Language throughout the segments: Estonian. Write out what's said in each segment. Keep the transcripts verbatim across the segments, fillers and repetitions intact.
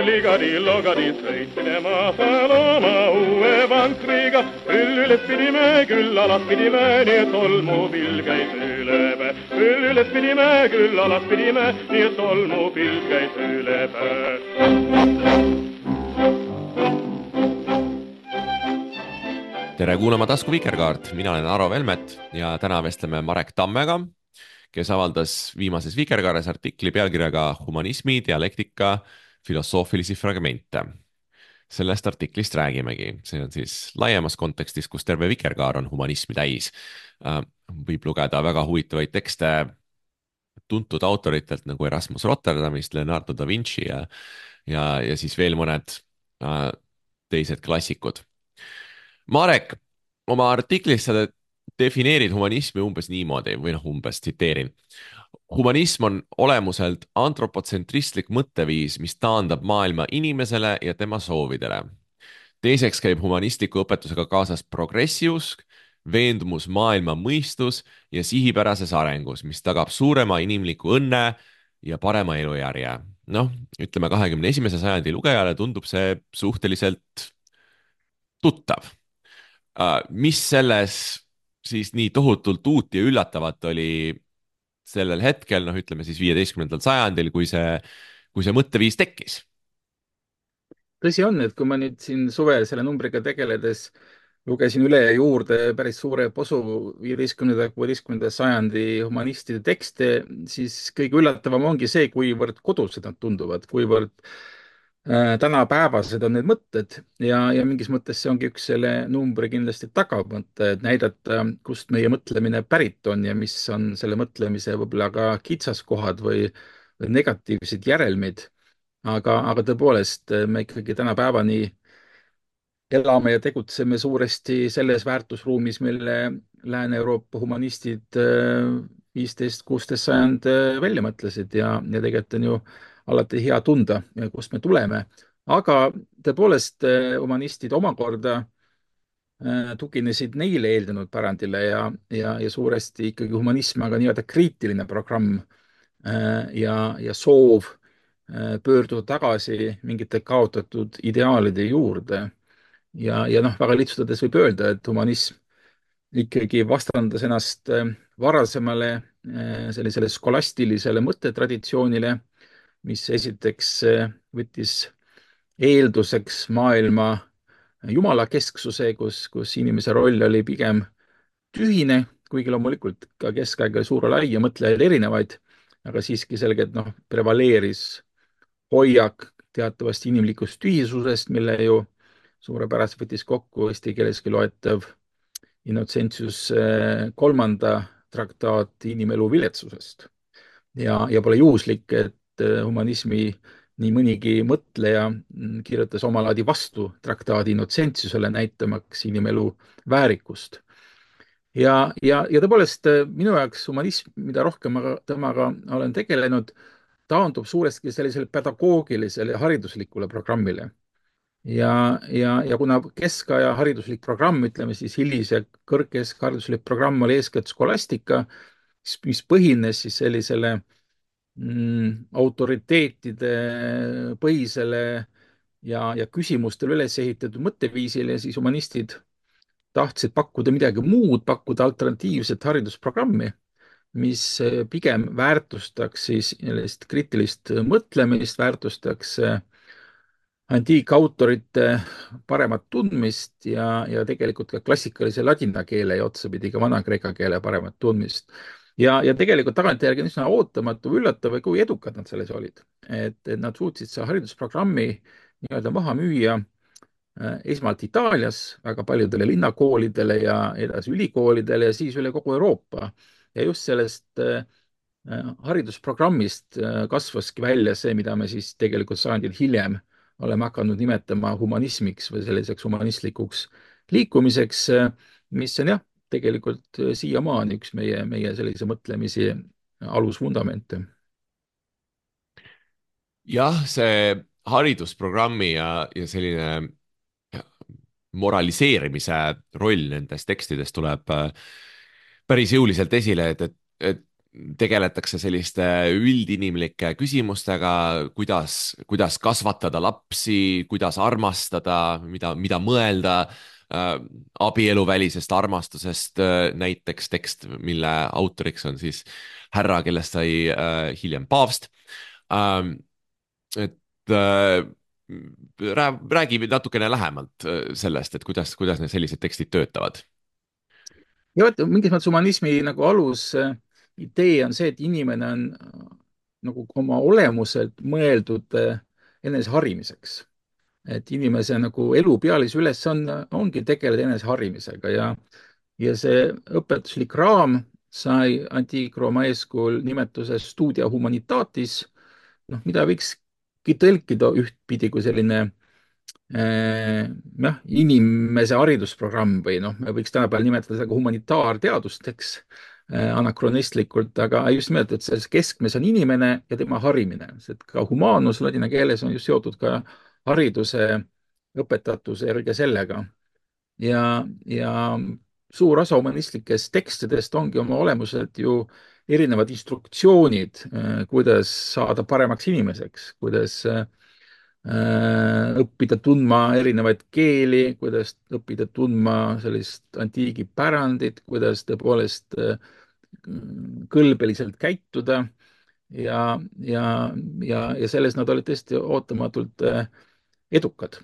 Ligadi-logadi sõit minema Saloma uue vankriga. Küll üles pidime, küll alas pidime, nii et tolmupilv käis üle päe. Küll üles pidime, küll alas pidime, nii et tolmupilv käis üle päe. Tere kuulama Tasku Vikerkaart, mina olen Aro Velmet ja täna vestleme Marek Tammega, kes avaldas viimases Vikerkaares artikli pealkirjaga Humanismi dialektika filosoofilisi fragmente. Sellest artiklist räägimegi. See on siis laiemas kontekstis, kus terve Vikerkaar on humanismi täis. Võib lugeda väga huvitavaid tekste tuntud autoritelt nagu Erasmus Rotterdamist, Leonardo da Vinci ja, ja, ja siis veel mõned teised klassikud. Marek, oma artiklis sa defineerid humanismi umbes niimoodi, või noh, umbes tsiteerin. Humanism on olemuselt antropotsentristlik mõtteviis, mis taandab maailma inimesele ja tema soovidele. Teiseks käib humanistliku õpetusega kaasas progressiusk, veendumus maailma mõistus ja sihipärases arengus, mis tagab suurema inimliku õnne ja parema elujärje. Noh, ütleme kahekümne esimese sajandi lugejale tundub see suhteliselt tuttav. Mis selles siis nii tohutult uut ja üllatavat oli sellel hetkel, noh ütleme siis viieteistkümnendal sajandil, kui see, kui see mõtteviis tekkis? Tõsi on, et kui ma nüüd siin suvel selle numbriga tegeledes lugesin üle juurde päris suure posu viieteistkümnenda ja kuueteistkümnenda sajandi humanistide tekste, siis kõige üllatavam ongi see, kuivõrd kodused nad tunduvad, kuivõrd äh, tänapäevased on need mõtted ja, ja mingis mõttes see ongi üks selle numbri kindlasti tagamõte, et näidata, kust meie mõtlemine pärit on ja mis on selle mõtlemise võib-olla ka kitsaskohad või, või negatiivsed järelmid. Aga, aga tõepoolest me ikkagi tänapäevani elame ja tegutseme suuresti selles väärtusruumis, mille Lääne-Euroopa humanistid viisteist kuusteist sajand välja mõtlesid ja, ja tegelikult on ju alati hea tunda, kust me tuleme. Aga tõepoolest humanistid omakorda tuginesid neile eeldunud pärandile ja, ja, ja suuresti ikkagi humanism, aga nii-öelda kriitiline programm ja, ja soov pöörduda tagasi mingite kaotatud ideaalide juurde. Ja, ja noh, väga lihtsustades võib öelda, et humanism ikkagi vastandas ennast varasemale sellisele skolastilisele mõttetraditsioonile, mis esiteks võttis eelduseks maailma jumalakesksuse, kus, kus inimese roll oli pigem tühine, kuigi loomulikult ka keskaega suur lai ja mõtlejaid erinevaid, aga siiski selgelt noh, prevaleeris hoiak teatavasti inimlikust tühisusest, mille ju suurepäraselt võttis kokku eesti keeleski loetav Innocentius kolmanda traktaat inimelu viletsusest. Ja, ja pole juhuslik, et humanismi nii mõnigi mõtleja kirjutas omalaadi vastu traktaadi Innocentiusele, näitamaks inimelu väärikust. Ja, ja, ja tõepoolest minu jaoks humanism, mida rohkem ma temaga olen tegelenud, taandub suuresti sellisele pedagoogilisele ja hariduslikule programmile. Ja, ja, ja kuna keskaja hariduslik programm, ütleme siis hilis- ja kõrgkeskhariduslik programm oli eeskätt skolastika, mis põhines siis sellisele mm, autoriteetide põhisele ja, ja küsimustele üles ehitatud mõtteviisile, siis humanistid tahtsid pakkuda midagi muud, pakkuda alternatiivset haridusprogrammi, mis pigem väärtustaks siis kriitilist mõtlemist, väärtustaks antiikautorite paremat tundmist ja, ja tegelikult ka klassikalise ladina keele ja otsapidi ka vana-kreeka keele paremat tundmist. Ja, ja tegelikult tagantjärgi on üsna ootamatu üllatav, kui edukad nad selles olid. Et, et nad suutsid see haridusprogrammi nii-öelda maha müüa esmalt Itaalias väga paljudele linnakoolidele ja edasi ülikoolidele ja siis üle kogu Euroopa. Ja just sellest haridusprogrammist kasvaski välja see, mida me siis tegelikult sajandil hiljem oleme hakanud nimetama humanismiks või selliseks humanistlikuks liikumiseks, mis on jah, tegelikult siiamaani üks meie, meie sellise mõtlemisi alusvundamente. jah, see haridusprogrammi ja, ja selline moraliseerimise roll nendes tekstides tuleb äh, päris jõuliselt esile, et, et, et tegeletakse selliste üldinimlike küsimustega, kuidas, kuidas kasvatada lapsi, kuidas armastada, mida, mida mõelda äh, abieluvälisest armastusest äh,, näiteks tekst, mille autoriks on siis härra, kellest sai äh, hiljem paavst ähm,. et äh, rää- räägi natukene lähemalt äh, sellest, et kuidas, kuidas need sellised tekstid töötavad. ja vot, mingis mõttes humanismi nagu alus äh, idee on see, et inimene on äh, nagu oma olemuselt mõeldud äh, eneseharimiseks. Et inimese nagu elu pealise ülesanne ongi tegeleda eneseharimisega ja, ja see õpetuslik raam sai Antiik-Rooma eeskujul nimetuse Studia Humanitatis, noh, mida võikski tõlkida ühtpidi kui selline eh, jah, inimese haridusprogramm või noh, me võiks tänapäeval nimetada seda ka humanitaarteadusteks eh, anakronistlikult, aga just nimelt, et selles keskmes on inimene ja tema harimine, sest ka humaanus ladina keeles on just seotud ka hariduse, õpetatuse ja kõige sellega. ja, ja suur osa humanistlikest tekstidest ongi oma olemuselt ju erinevad instruktsioonid, eh, kuidas saada paremaks inimeseks, kuidas eh, õppida tundma erinevaid keeli, kuidas õppida tundma sellist antiigipärandit, kuidas tõepoolest eh, kõlbeliselt käituda ja, ja, ja, ja selles nad olid tõesti ootamatult eh, edukad.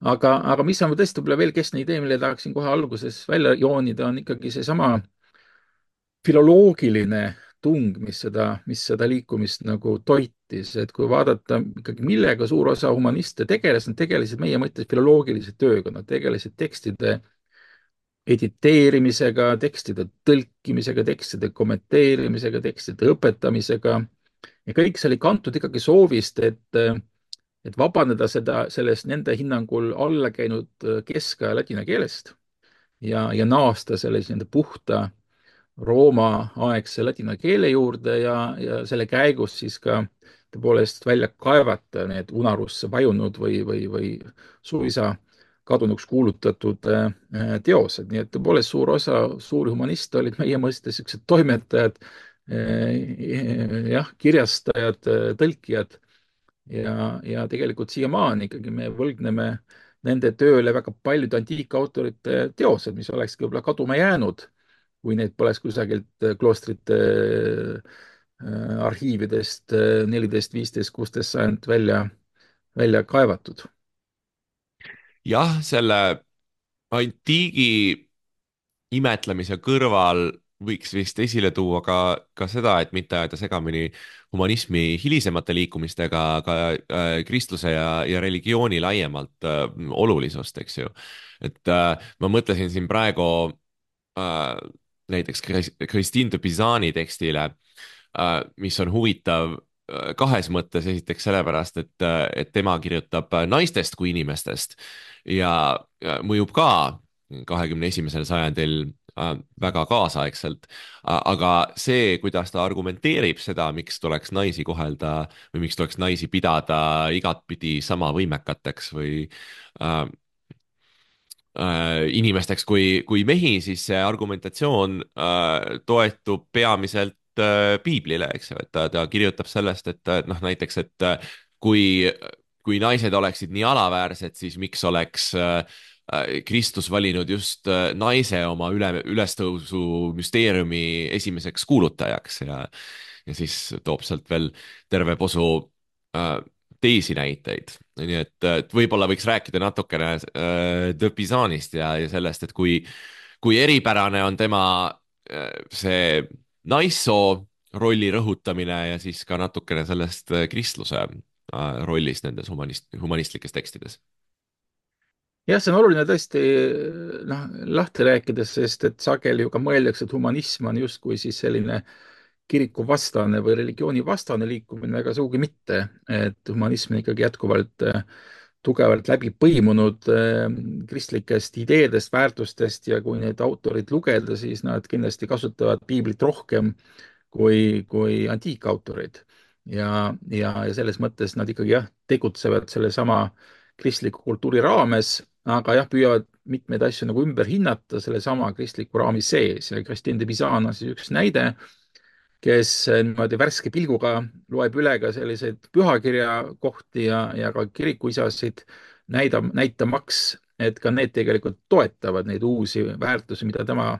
aga, aga mis on tõesti võib-olla veel keskne idee, mille tahaksin kohe alguses välja joonida, on ikkagi seesama filoloogiline tung, mis seda, mis seda liikumist nagu toitis, et kui vaadata ikkagi, millega suur osa humaniste tegeles, nad tegelesid meie mõttes filoloogilise tööga, nad tegelesid tekstide editeerimisega, tekstide tõlkimisega, tekstide kommenteerimisega, tekstide õpetamisega ja kõik see oli kantud ikkagi soovist, et, et vabaneda seda, sellest nende hinnangul alla käinud keskaja ladina keelest ja, ja naasta sellise nende puhta Rooma-aegse ladina keele juurde ja, ja selle käigus siis ka tõepoolest välja kaevata need unarusse vajunud või, või, või suisa kadunuks kuulutatud äh, teosed. Nii et tõepoolest suur osa suuri humaniste olid meie mõistes niisugused toimetajad, äh, jah, kirjastajad, äh, tõlkijad ja, ja tegelikult siiamaani ikkagi me võlgneme nende tööle väga paljude antiikautorite teosed, mis olekski võib-olla kaduma jäänud, kui neid poleks kusagilt kloostrite äh, arhiividest äh, neliteist, viisteist, kuusteist sajand välja, välja kaevatud. jah, selle antiigi imetlemise kõrval võiks vist esile tuua ka, ka seda, et mitte ajada segamini humanismi hilisemate liikumistega, ka äh, kristluse ja, ja religiooni laiemalt äh, olulisust, eks ju. et äh, ma mõtlesin siin praegu äh, näiteks Christine de Pisani tekstile äh,, mis on huvitav äh, kahes mõttes, esiteks sellepärast, et, äh, et tema kirjutab naistest kui inimestest ja, ja mõjub ka kahekümne esimesel sajandil äh, väga kaasaegselt. aga see, kuidas ta argumenteerib seda, miks tuleks naisi kohelda või miks tuleks naisi pidada igatpidi sama võimekateks või äh, äh, inimesteks kui, kui mehi, siis see argumentatsioon äh, toetub peamiselt äh, piiblile, eks ju, et ta, ta kirjutab sellest, et noh, näiteks, et äh, kui, kui naised oleksid nii alaväärsed, siis miks oleks äh, Kristus valinud just äh, naise oma üle, ülestõusu müsteeriumi esimeseks kuulutajaks ja, ja siis toob sealt veel terve posu äh, teisi näiteid. nii et, et võib-olla võiks rääkida natukene äh, de Pisanist ja, ja sellest, et kui, kui eripärane on tema äh, see naissoo rolli rõhutamine ja siis ka natukene sellest äh, kristluse äh, rollist nendes humanist, humanistlikes tekstides. jah, see on oluline tõesti noh, lahti rääkides, sest et sageli ju ka mõeldakse, et humanism on justkui siis selline kirikuvastane või religioonivastane liikumine, aga sugugi mitte. et humanism on ikkagi jätkuvalt äh, tugevalt läbi põimunud äh, kristlikest ideedest, väärtustest ja kui neid autorid lugeda, siis nad kindlasti kasutavad piiblit rohkem kui, kui antiikautorid. ja, ja, ja selles mõttes nad ikkagi jah, tegutsevad sellesama kristliku kultuuri raames, aga jah, püüavad mitmeid asju nagu ümber hinnata sellesama kristliku raami sees ja Christine de Pizan on siis üks näide, kes niimoodi värske pilguga loeb üle ka selliseid pühakirja kohti ja, ja ka kirikuisasid, näidab, näitamaks, et ka need tegelikult toetavad neid uusi väärtusi, mida tema,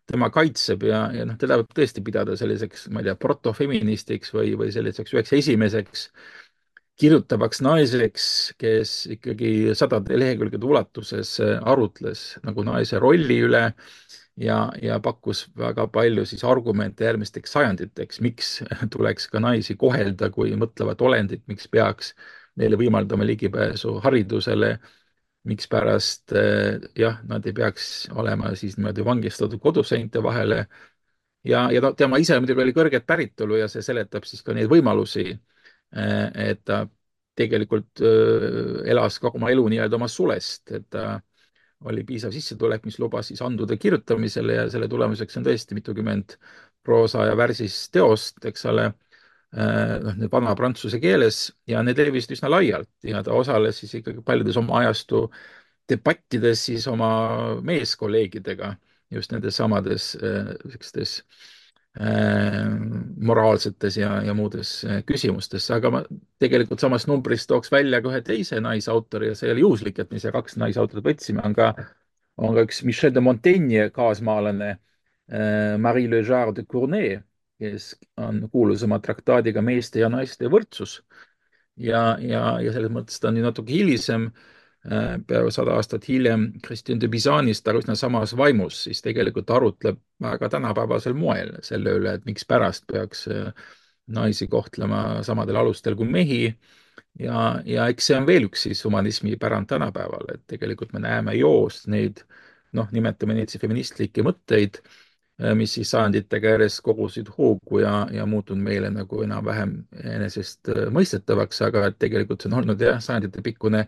tema kaitseb ja, ja noh, teda võib tõesti pidada selliseks, ma ei tea, protofeministiks või, või selliseks üheks esimeseks kirjutavaks naiseks, kes ikkagi sadade lehekülgede ulatuses arutles nagu naise rolli üle ja, ja pakkus väga palju siis argumente järgmisteks sajanditeks, miks tuleks ka naisi kohelda kui mõtlevat olendit, miks peaks neile võimaldama ligipääsu haridusele, mikspärast jah, nad ei peaks olema siis niimoodi vangistatud koduseinte vahele ja, ja ta, tema ise muidugi oli kõrget päritolu ja see seletab siis ka neid võimalusi, et ta tegelikult elas kogu oma elu nii-öelda oma sulest, et ta oli piisav sissetulek, mis lubas siis andude kirjutamisele ja selle tulemuseks on tõesti mitukümmend proosa ja värsis teost, eks ole, noh, need vana prantsuse keeles ja need levisid üsna laialt ja ta osales siis ikkagi paljudes oma ajastu debattides siis oma meeskolleegidega just nendes samades sellistes moraalsetes ja, ja muudes küsimustes, aga ma tegelikult samast numbrist tooks välja ka ühe teise naisautori ja see oli juhuslik, et me siia kaks naisautorit võtsime, on ka, on ka üks Michel de Montaigne kaasmaalane Marie Le Jard de Cournay, kes on kuulus oma traktaadiga meeste ja naiste võrdsus ja, ja, ja selles mõttes ta on ju natuke hilisem, peaaegu sada aastat hiljem Christine de Bizanist, aga üsna samas vaimus, siis tegelikult arutleb väga tänapäevasel moel selle üle, et mikspärast peaks naisi kohtlema samadel alustel kui mehi ja, ja eks see on veel üks siis humanismi pärand tänapäeval, et tegelikult me näeme joost neid, noh, nimetame neid siis feministlikke mõtteid, mis siis sajanditega järjest kogusid hoogu ja, ja muutunud meile nagu enam-vähem enesest mõistetavaks, aga et tegelikult see on olnud jah, sajandite pikkune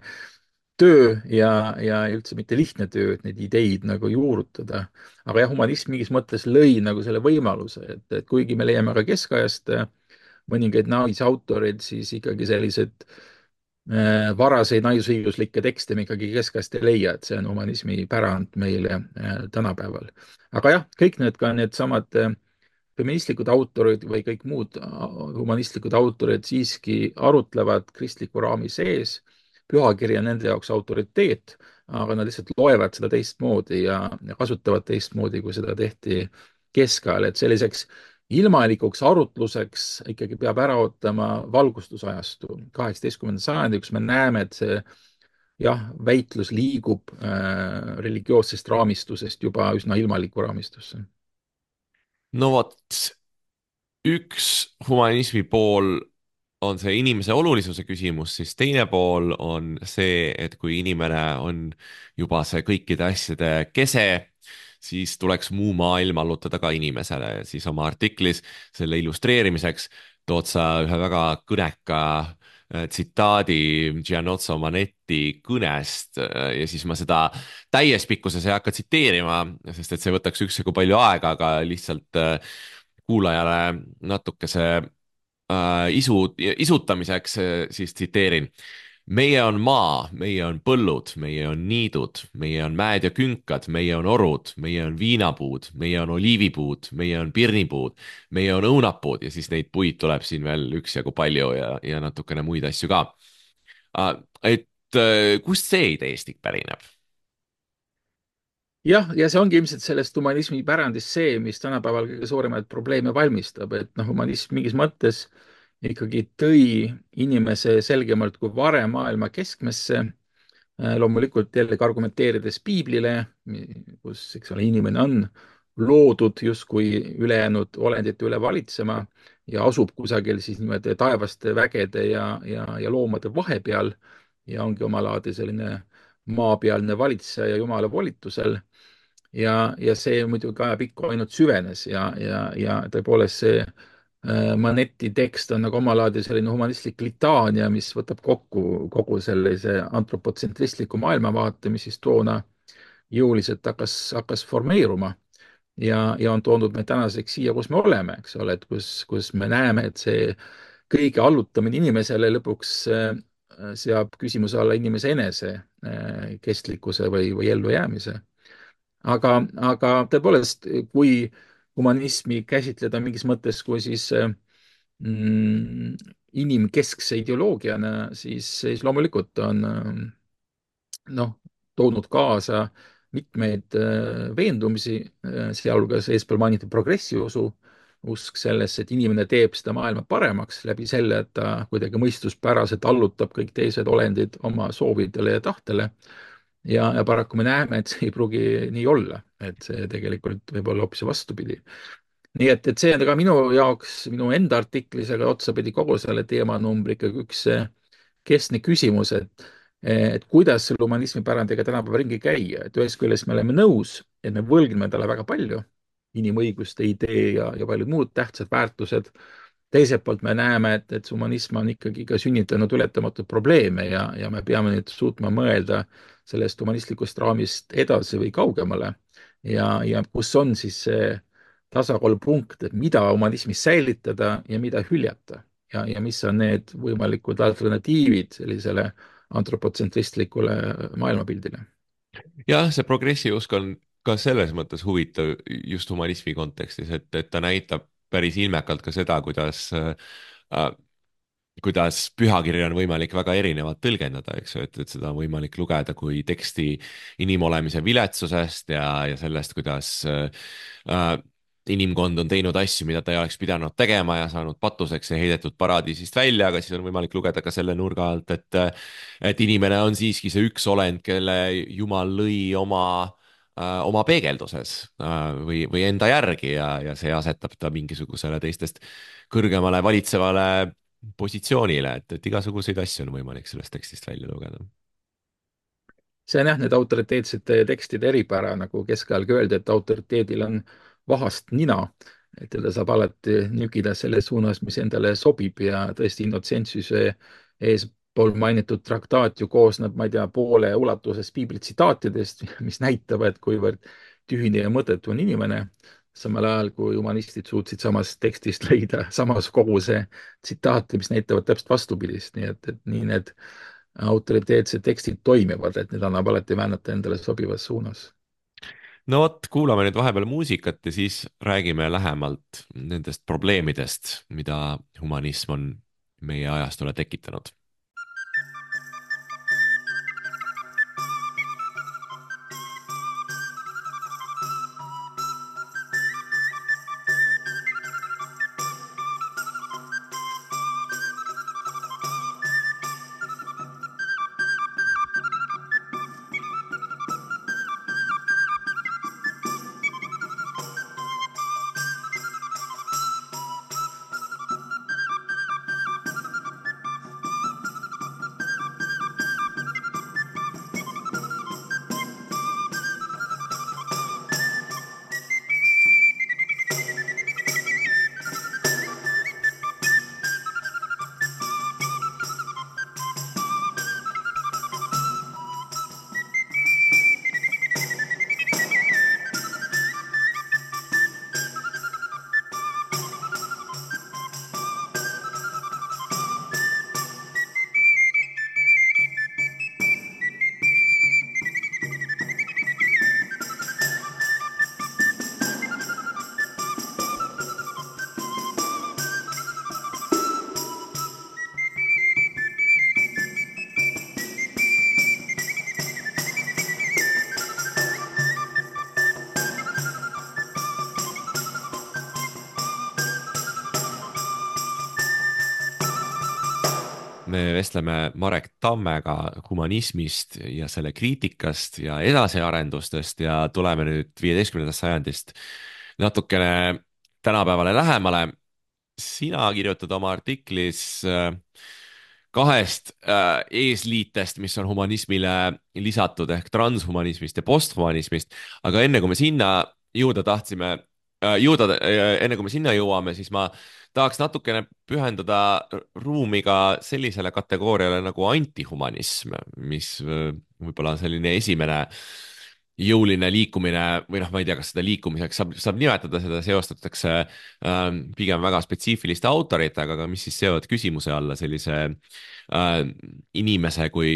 töö ja, ja üldse mitte lihtne töö, et neid ideid nagu juurutada. aga jah, humanism mingis mõttes lõi nagu selle võimaluse, et, et kuigi me leiame ka keskajast mõningaid naisautoreid, siis ikkagi sellised äh, varaseid naisõiguslikke tekste me ikkagi keskajast ei leia, et see on humanismi pärand meile äh, tänapäeval. aga jah, kõik need ka needsamad äh, feministlikud autorid või kõik muud humanistlikud autorid siiski arutlevad kristliku raami sees, pühakiri on nende jaoks autoriteet, aga nad lihtsalt loevad seda teistmoodi ja kasutavad teistmoodi, kui seda tehti keskajal, et selliseks ilmalikuks arutluseks ikkagi peab ära ootama valgustusajastu, kaheksateistkümnenda sajandi, kus me näeme, et see jah, väitlus liigub äh, religioossest raamistusest juba üsna ilmalikku raamistusse. no vot, üks humanismi pool on see inimese olulisuse küsimus, siis teine pool on see, et kui inimene on juba see kõikide asjade kese, siis tuleks muu maailm allutada ka inimesele. siis oma artiklis selle illustreerimiseks tood sa ühe väga kõneka tsitaadi Gianozzo Manetti kõnest ja siis ma seda täies pikkuses ei hakka tsiteerima, sest et see võtaks üksjagu palju aega, aga lihtsalt kuulajale natukese äh, isu, isutamiseks siis tsiteerin. meie on maa, meie on põllud, meie on niidud, meie on mäed ja künkad, meie on orud, meie on viinapuud, meie on oliivipuud, meie on pirnipuud, meie on õunapuud ja siis neid puid tuleb siin veel üksjagu palju ja, ja natukene muid asju ka. et kust see ideestik pärineb? jah, ja see ongi ilmselt sellest humanismi pärandist see, mis tänapäeval kõige suuremaid probleeme valmistab, et noh, humanism mingis mõttes ikkagi tõi inimese selgemalt kui varem maailma keskmesse, loomulikult jällegi argumenteerides piiblile, kus, eks ole, inimene on loodud justkui ülejäänud olendite üle valitsema ja asub kusagil siis niimoodi taevaste vägede ja, ja, ja loomade vahepeal ja ongi omalaadi selline maapealne valitseja Jumala volitusel. ja, ja see muidugi ajapikku ainult süvenes ja, ja, ja tõepoolest see Manetti tekst on nagu omalaadi selline humanistlik litaania, mis võtab kokku kogu sellise antropotsentristliku maailmavaate, mis siis toona jõuliselt hakkas, hakkas formeeruma. ja, ja on toonud meid tänaseks siia, kus me oleme, eks ole, et kus, kus me näeme, et see kõige allutamine inimesele lõpuks äh, seab küsimuse alla inimese enese äh, kestlikkuse või, või ellujäämise. aga, aga tõepoolest, kui humanismi käsitleda mingis mõttes kui siis äh, mm, inimkeskse ideoloogiana, siis, siis loomulikult on äh, noh, toonud kaasa mitmeid äh, veendumisi, äh, sealhulgas eespool mainitud progressiusu, usk sellesse, et inimene teeb seda maailma paremaks läbi selle, et ta kuidagi mõistuspäraselt allutab kõik teised olendid oma soovidele ja tahtele. ja, ja paraku me näeme, et see ei pruugi nii olla, et see tegelikult võib olla hoopis vastupidi. nii et, et see on ka minu jaoks, minu enda artiklis, aga otsapidi kogu selle teemanumbri ikkagi üks keskne küsimus, et, et kuidas selle humanismi pärandiga tänapäeva ringi käia, et ühest küljest me oleme nõus, et me võlgneme talle väga palju, inimõiguste idee ja, ja paljud muud tähtsad väärtused. teiselt poolt me näeme, et, et humanism on ikkagi ka sünnitanud ületamatuid probleeme ja, ja me peame nüüd suutma mõelda sellest humanistlikust raamist edasi või kaugemale. ja, ja kus on siis see tasakaalupunkt, et mida humanismis säilitada ja mida hüljata ja, ja mis on need võimalikud alternatiivid sellisele antropotsentristlikule maailmapildile. jah, see progressiusk on ka selles mõttes huvitav just humanismi kontekstis, et, et ta näitab päris ilmekalt ka seda, kuidas äh, kuidas pühakirja on võimalik väga erinevalt tõlgendada, eks ju, et, et seda on võimalik lugeda kui teksti inimolemise viletsusest ja, ja sellest, kuidas äh, inimkond on teinud asju, mida ta ei oleks pidanud tegema ja saanud patuseks ja heidetud paradiisist välja, aga siis on võimalik lugeda ka selle nurga alt, et, et inimene on siiski see üks olend, kelle Jumal lõi oma äh, oma peegelduses äh, või, või enda järgi ja, ja see asetab ta mingisugusele teistest kõrgemale valitsevale positsioonile, et, et igasuguseid asju on võimalik sellest tekstist välja lugeda. see on jah, need autoriteetsete tekstide eripära, nagu keskajalgi öeldi, et autoriteedil on vahast nina, et teda saab alati nügida selles suunas, mis endale sobib ja tõesti Innocentsuse eespool mainitud traktaat ju koosneb, ma ei tea, poole ulatuses piiblitsitaatidest, mis näitavad, kuivõrd tühine ja mõttetu on inimene, samal ajal kui humanistid suutsid samast tekstist leida samas koguse tsitaate, mis näitavad täpselt vastupidist, nii et, et nii need autoriteetsed tekstid toimivad, et need annab alati väänata endale sobivas suunas. no vot, kuulame nüüd vahepeal muusikat ja siis räägime lähemalt nendest probleemidest, mida humanism on meie ajastule tekitanud. me vestleme Marek Tammega humanismist ja selle kriitikast ja edasiarendustest ja tuleme nüüd viieteistkümnendast sajandist natukene tänapäevale lähemale. sina kirjutad oma artiklis äh, kahest äh, eesliitest, mis on humanismile lisatud ehk transhumanismist ja posthumanismist, aga enne kui me sinna jõuda tahtsime äh,, jõuda äh,, enne kui me sinna jõuame, siis ma tahaks natukene pühendada ruumi ka sellisele kategooriale nagu antihumanism, mis äh, võib-olla on selline esimene jõuline liikumine või noh, ma ei tea, kas seda liikumiseks saab, saab nimetada, seda seostatakse äh, pigem väga spetsiifiliste autoritega, aga mis siis seovad küsimuse alla sellise äh, inimese kui,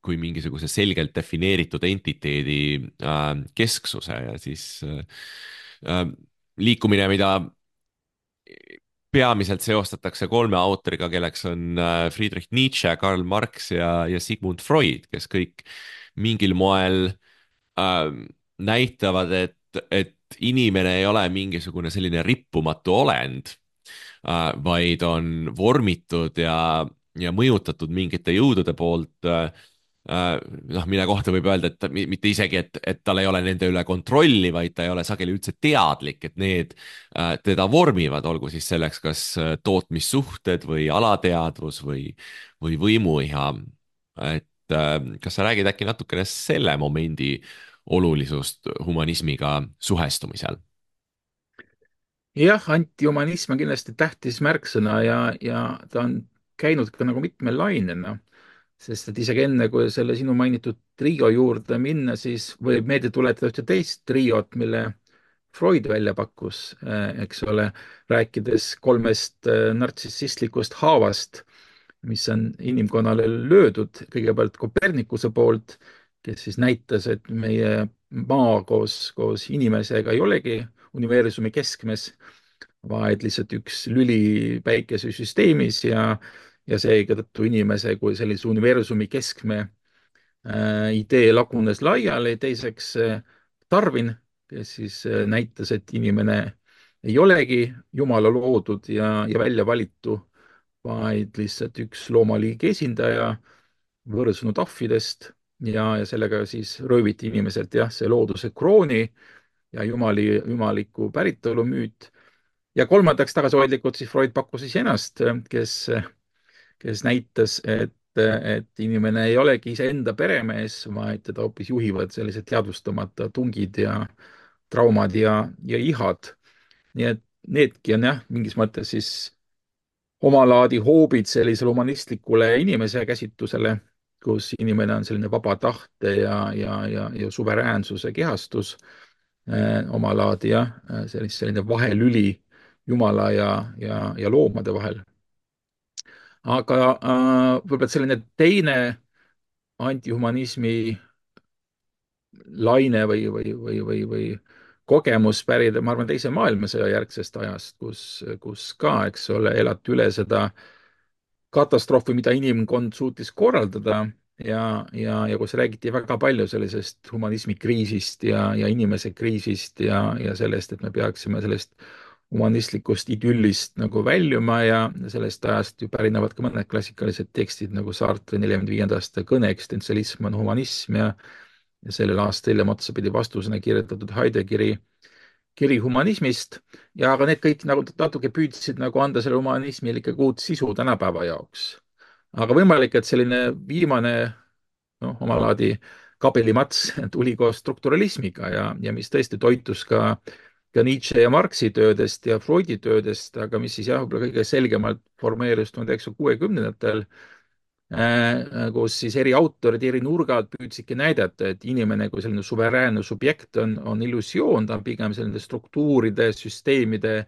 kui mingisuguse selgelt defineeritud entiteedi äh, kesksuse ja siis äh, äh, liikumine, mida peamiselt seostatakse kolme autoriga, kelleks on äh, Friedrich Nietzsche, Karl Marx ja, ja Sigmund Freud, kes kõik mingil moel äh, näitavad, et, et inimene ei ole mingisugune selline rippumatu olend äh,, vaid on vormitud ja, ja mõjutatud mingite jõudude poolt äh, äh, noh, mille kohta võib öelda, et mi- mitte isegi, et, et tal ei ole nende üle kontrolli, vaid ta ei ole sageli üldse teadlik, et need äh, teda vormivad, olgu siis selleks kas äh, tootmissuhted või alateadvus või, või võimuiha. et äh, kas sa räägid äkki natukene selle momendi olulisust humanismiga suhestumisel? jah, antihumanism on kindlasti tähtis märksõna ja, ja ta on käinud ka nagu mitmel lainena, sest et isegi enne, kui selle sinu mainitud trio juurde minna, siis võib meelde tuletada ühte teist triot, mille Freud välja pakkus, eh, eks ole, rääkides kolmest eh, nartsissistlikust haavast, mis on inimkonnale löödud, kõigepealt Kopernikuse poolt, kes siis näitas, et meie maa koos, koos inimesega ei olegi universumi keskmes, vaid lihtsalt üks lüli päikesesüsteemis ja, ja seetõttu inimese kui sellise universumi keskme äh, idee lagunes laiali. teiseks äh, Darwin, kes siis äh, näitas, et inimene ei olegi Jumala loodud ja, ja välja valitu, vaid lihtsalt üks loomaliigi esindaja võõrsunud ahvidest ja, ja sellega siis rööviti inimeselt jah, see looduse krooni ja jumali, jumaliku päritolu müüt. Ja kolmandaks tagasihoidlikult siis Freud pakkus siis ennast, kes, kes näitas, et, et inimene ei olegi iseenda peremees, vaid teda hoopis juhivad sellised teadvustamata tungid ja traumad ja, ja ihad. nii et needki on jah, mingis mõttes siis omalaadi hoobid sellisele humanistlikule inimese käsitlusele, kus inimene on selline vaba tahte ja, ja, ja, ja suveräänsuse kehastus eh, omalaadi jah, sellist, selline vahelüli Jumala ja, ja, ja loomade vahel. aga äh, võib-olla selline teine antihumanismi laine või, või, või, või, või kogemus pärida, ma arvan, teise maailmasõja järgsest ajast, kus, kus ka, eks ole, elati üle seda katastroofi, mida inimkond suutis korraldada ja, ja, ja kus räägiti väga palju sellisest humanismi kriisist ja, ja inimese kriisist ja, ja sellest, et me peaksime sellest humanistlikust idüllist nagu väljuma ja sellest ajast ju pärinevad ka mõned klassikalised tekstid nagu Sartre neljakümne viienda aasta kõne Eksistentsialism on humanism ja, ja sellel aastal hiljem otsapidi vastusena kirjutatud Heideggeri kiri humanismist ja aga need kõik nagu natuke püüdsid nagu anda selle humanismile ikkagi uut sisu tänapäeva jaoks. aga võimalik, et selline viimane noh, omalaadi kabelimats tuli koos strukturalismiga ja, ja mis tõesti toitus ka, ka Nietzsche ja Marxi töödest ja Freudi töödest, aga mis siis jah, võib-olla kõige selgemalt formeerus tuhande üheksasaja kuuekümnendatel, kus siis eri autorid eri nurgad püüdsidki näidata, et inimene kui selline suveräänne subjekt on, on illusioon, ta on pigem selline struktuuride, süsteemide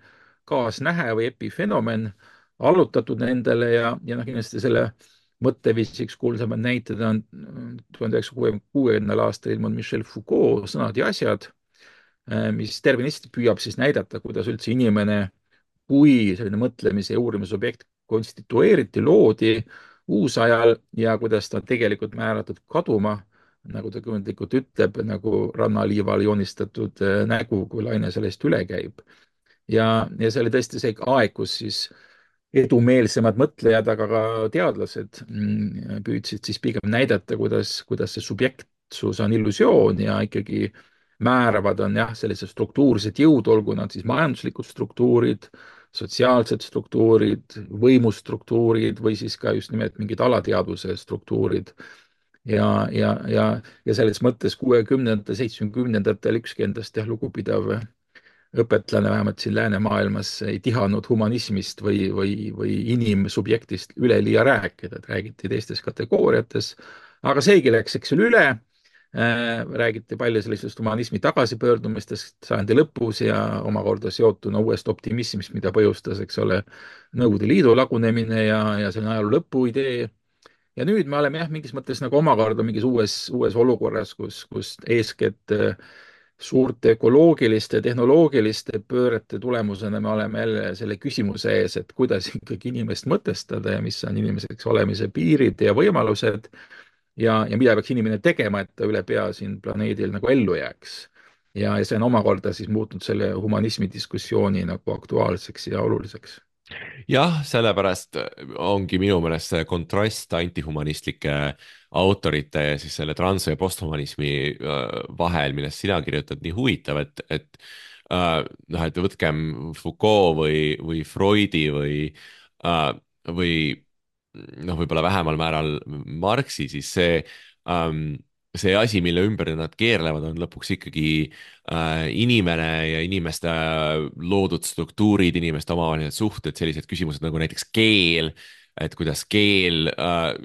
kaasnähe või epifenomen, allutatud nendele ja, ja noh, kindlasti selle mõtteviisiks kuulsamad näited on tuhande üheksasaja kuuekümnendal aastal ilmunud Michel Foucault Sõnad ja asjad, mis terministi püüab siis näidata, kuidas üldse inimene kui selline mõtlemise ja uurimise objekt konstitueeriti, loodi uusajal ja kuidas ta tegelikult määratud kaduma, nagu ta kujundlikult ütleb, nagu rannaliival joonistatud nägu, kui laine sellest üle käib. ja, ja see oli tõesti see aeg, kus siis edumeelsemad mõtlejad, aga ka teadlased püüdsid siis pigem näidata, kuidas, kuidas see subjektsus on illusioon ja ikkagi määravad on jah, sellised struktuursed jõud, olgu nad siis majanduslikud struktuurid, sotsiaalsed struktuurid, võimustruktuurid või siis ka just nimelt mingid alateadvuse struktuurid. ja, ja, ja, ja selles mõttes kuuekümnendatel, seitsmekümnendatel ükski endast jah, lugupidav õpetlane vähemalt siin läänemaailmas ei tihanud humanismist või, või, või inimsubjektist üleliia rääkida, et räägiti teistes kategooriates. aga seegi läks, eks ole, üle räägiti palju sellisest humanismi tagasipöördumistest sajandi lõpus ja omakorda seotuna uuest optimismist, mida põhjustas, eks ole, Nõukogude Liidu lagunemine ja, ja selline ajaloo lõpu idee. Ja nüüd me oleme jah, mingis mõttes nagu omakorda mingis uues, uues olukorras, kus, kus eeskätt suurte ökoloogiliste, tehnoloogiliste pöörete tulemusena me oleme jälle selle küsimuse ees, et kuidas ikkagi inimest mõtestada ja mis on inimeseks olemise piirid ja võimalused ja, ja mida peaks inimene tegema, et ta üle pea siin planeedil nagu ellu jääks. ja, ja see on omakorda siis muutnud selle humanismi diskussiooni nagu aktuaalseks ja oluliseks. jah, sellepärast ongi minu meelest see kontrast antihumanistlike autorite ja siis selle trans- ja posthumanismi vahel, millest sina kirjutad, nii huvitav, et, et noh, et võtkem Foucault või, või Freudi või, või noh, võib-olla vähemal määral Marxi, siis see ähm, see asi, mille ümber nad keerlevad, on lõpuks ikkagi äh, inimene ja inimeste loodud struktuurid, inimeste omavahelised suhted, sellised küsimused nagu näiteks keel, et kuidas keel äh,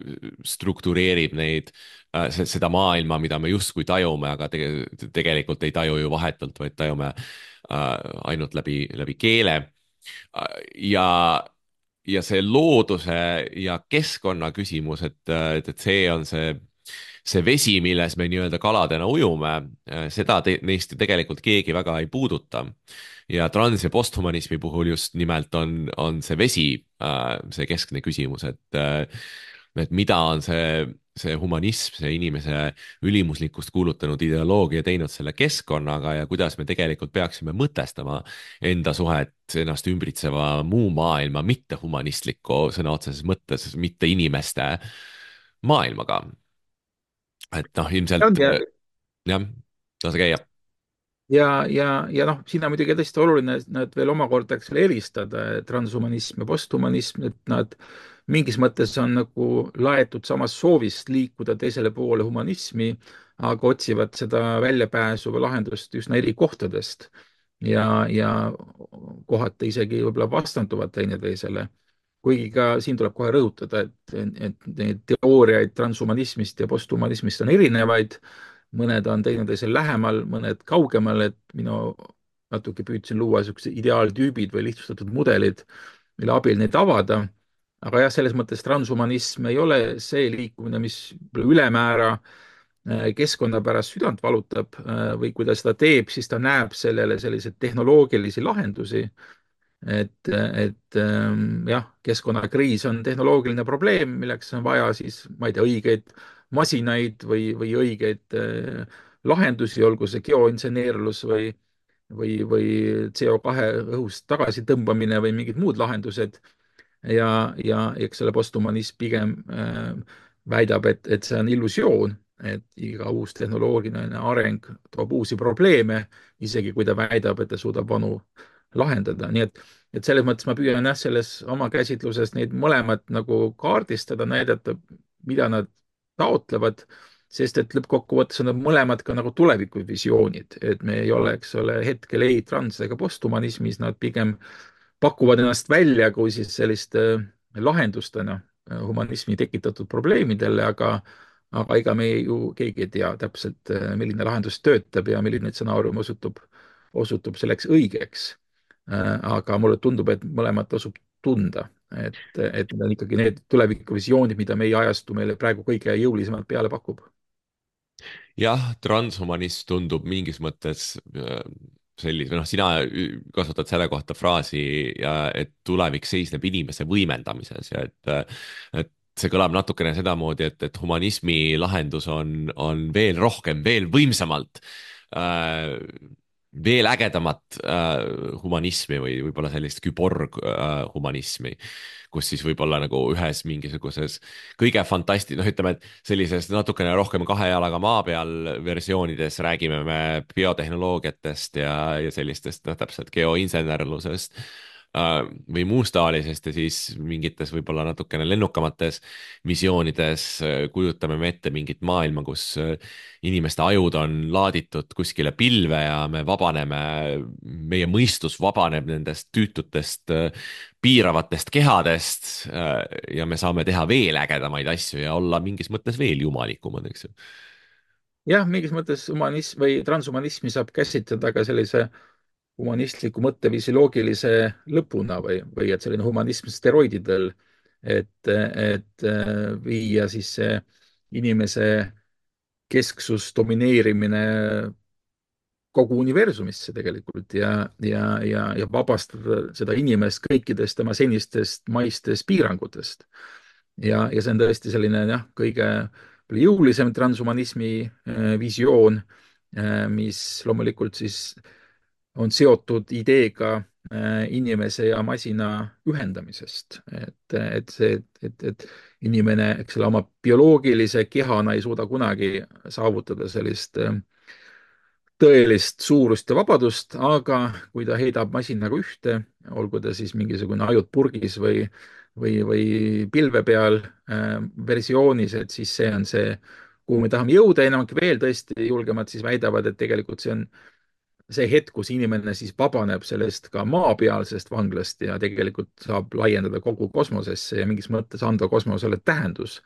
struktureerib neid äh,, seda maailma, mida me justkui tajume, aga tege, tegelikult ei taju ju vahetult, vaid tajume äh, ainult läbi, läbi keele äh,. ja ja see looduse ja keskkonna küsimus, et, et, et see on see see vesi, milles me nii-öelda kaladena ujume, seda te, neist ju tegelikult keegi väga ei puuduta. Ja trans- ja posthumanismi puhul just nimelt on, on see vesi see keskne küsimus, et, et mida on see, see humanism, see inimese ülimuslikkust kuulutanud ideoloogia teinud selle keskkonnaga ja kuidas me tegelikult peaksime mõtestama enda suhet ennast ümbritseva muu maailma, mitte humanistliku sõna otseses mõttes, mitte inimeste maailmaga. Et noh, ilmselt ja, jah, lase käia. ja, ja, ja noh, siin on muidugi tõesti oluline nad veel omakorda, eks ole, eristada transhumanism ja posthumanism, et nad mingis mõttes on nagu laetud samast soovist liikuda teisele poole humanismi, aga otsivad seda väljapääsu või lahendust üsna eri kohtadest ja, ja kohati isegi võib-olla vastanduvad teineteisele. kuigi ka siin tuleb kohe rõhutada, et, et neid teooriaid transhumanismist ja posthumanismist on erinevaid, mõned on teineteisel lähemal, mõned kaugemal, et minu natuke püüdsin luua niisugused ideaaltüübid või lihtsustatud mudelid, mille abil neid avada. aga jah, selles mõttes transhumanism ei ole see liikumine, mis ülemäära keskkonna pärast südant valutab või kui ta seda teeb, siis ta näeb sellele selliseid tehnoloogilisi lahendusi. et, et jah, keskkonnakriis on tehnoloogiline probleem, milleks on vaja siis, ma ei tea, õigeid masinaid või, või õigeid lahendusi, olgu see geoinseneerlus või, või, või C O kahe õhust tagasitõmbamine või mingid muud lahendused. ja, ja eks selle posthumanism pigem äh, väidab, et, et see on illusioon, et iga uus tehnoloogiline areng toob uusi probleeme, isegi kui ta väidab, et ta suudab vanu lahendada, nii et, et selles mõttes ma püüan jah, selles oma käsitluses neid mõlemat nagu kaardistada, näidata, mida nad taotlevad, sest et lõppkokkuvõttes on nad mõlemad ka nagu tulevikuvisioonid, et me ei ole, eks ole, hetkel ei trans- ega posthumanismis, nad pigem pakuvad ennast välja kui siis selliste lahendustena humanismi tekitatud probleemidele, aga aga ega me ju keegi ei tea täpselt, milline lahendus töötab ja milline stsenaarium osutub, osutub selleks õigeks. aga mulle tundub, et mõlemat tasub tunda, et, et need on ikkagi need tulevikuvisioonid, mida meie ajastu meile praegu kõige jõulisemalt peale pakub. jah, transhumanism tundub mingis mõttes sellise, noh, sina kasutad selle kohta fraasi ja et tulevik seisneb inimese võimendamises ja et, et see kõlab natukene sedamoodi, et, et humanismi lahendus on, on veel rohkem, veel võimsamalt äh, veel ägedamat äh, humanismi või võib-olla sellist küborg äh, humanismi, kus siis võib-olla nagu ühes mingisuguses kõige fantasti-, noh, ütleme, et sellises natukene rohkem kahe jalaga maa peal versioonides räägime me biotehnoloogiatest ja, ja sellistest, noh, täpselt geoinsenerlusest või muust taolisest ja siis mingites võib-olla natukene lennukamates visioonides kujutame me ette mingit maailma, kus inimeste ajud on laaditud kuskile pilve ja me vabaneme, meie mõistus vabaneb nendest tüütutest piiravatest kehadest ja me saame teha veel ägedamaid asju ja olla mingis mõttes veel jumalikumad, eks ju. jah, mingis mõttes humanism või transhumanismi saab käsitleda ka sellise humanistliku mõtteviisi loogilise lõpuna või, või et selline humanism steroididel, et, et äh, viia siis see inimese kesksus, domineerimine kogu universumisse tegelikult ja, ja, ja, ja vabastada seda inimest kõikidest tema senistest maistest piirangutest. ja, ja see on tõesti selline jah, kõige jõulisem transhumanismi äh, visioon, äh, mis loomulikult siis on seotud ideega äh, inimese ja masina ühendamisest. et, et see, et, et inimene, eks ole, oma bioloogilise kehana ei suuda kunagi saavutada sellist äh, tõelist suurust ja vabadust, aga kui ta heidab masinaga ühte, olgu ta siis mingisugune ajud purgis või, või, või pilve peal äh, versioonis, et siis see on see, kuhu me tahame jõuda. enamik veel tõesti julgemad siis väidavad, et tegelikult see on see hetk, kus inimene siis vabaneb sellest ka maapealsest vanglast ja tegelikult saab laiendada kogu kosmosesse ja mingis mõttes anda kosmosele tähendus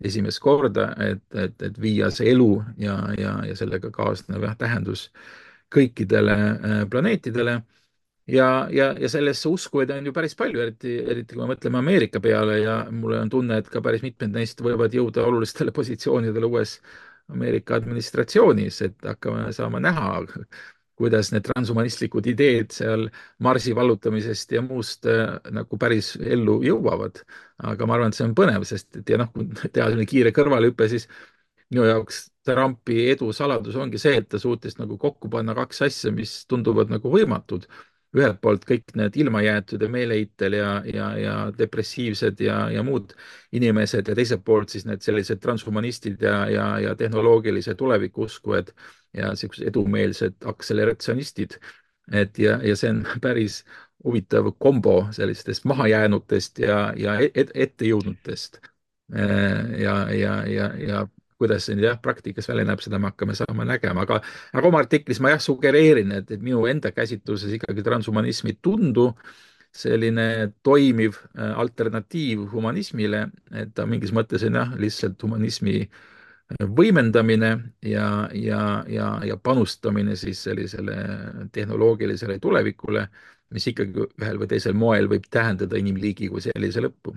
esimest korda, et, et, et viia see elu ja, ja, ja sellega kaasnev jah, tähendus kõikidele äh, planeetidele. ja, ja, ja sellesse uskujaid on ju päris palju, eriti, eriti kui me mõtleme Ameerika peale ja mul on tunne, et ka päris mitmed neist võivad jõuda olulistele positsioonidele uues Ameerika administratsioonis, et hakkame saama näha, kuidas need transhumanistlikud ideed seal Marsi vallutamisest ja muust äh, nagu päris ellu jõuavad. aga ma arvan, et see on põnev, sest et ja noh, kui teha selline kiire kõrvalehüpe, siis minu jaoks Trumpi edu saladus ongi see, et ta suutis nagu kokku panna kaks asja, mis tunduvad nagu võimatud. ühelt poolt kõik need ilmajäetud ja meeleheitel ja, ja, ja depressiivsed ja, ja muud inimesed ja teiselt poolt siis need sellised transhumanistid ja, ja, ja tehnoloogilise tuleviku uskujad ja siuksed edumeelsed akseleratsionistid. et ja, ja see on päris huvitav kombo sellistest mahajäänutest ja, ja et, ettejõudnutest. ja, ja, ja, ja kuidas see nüüd jah, praktikas välja näeb, seda me hakkame saama nägema, aga, aga oma artiklis ma jah sugereerin, et, et minu enda käsitluses ikkagi transhumanism ei tundu selline toimiv äh, alternatiiv humanismile, et ta mingis mõttes on jah, lihtsalt humanismi äh, võimendamine ja, ja, ja, ja panustamine siis sellisele tehnoloogilisele tulevikule, mis ikkagi ühel või teisel moel võib tähendada inimliigi kui sellise lõppu.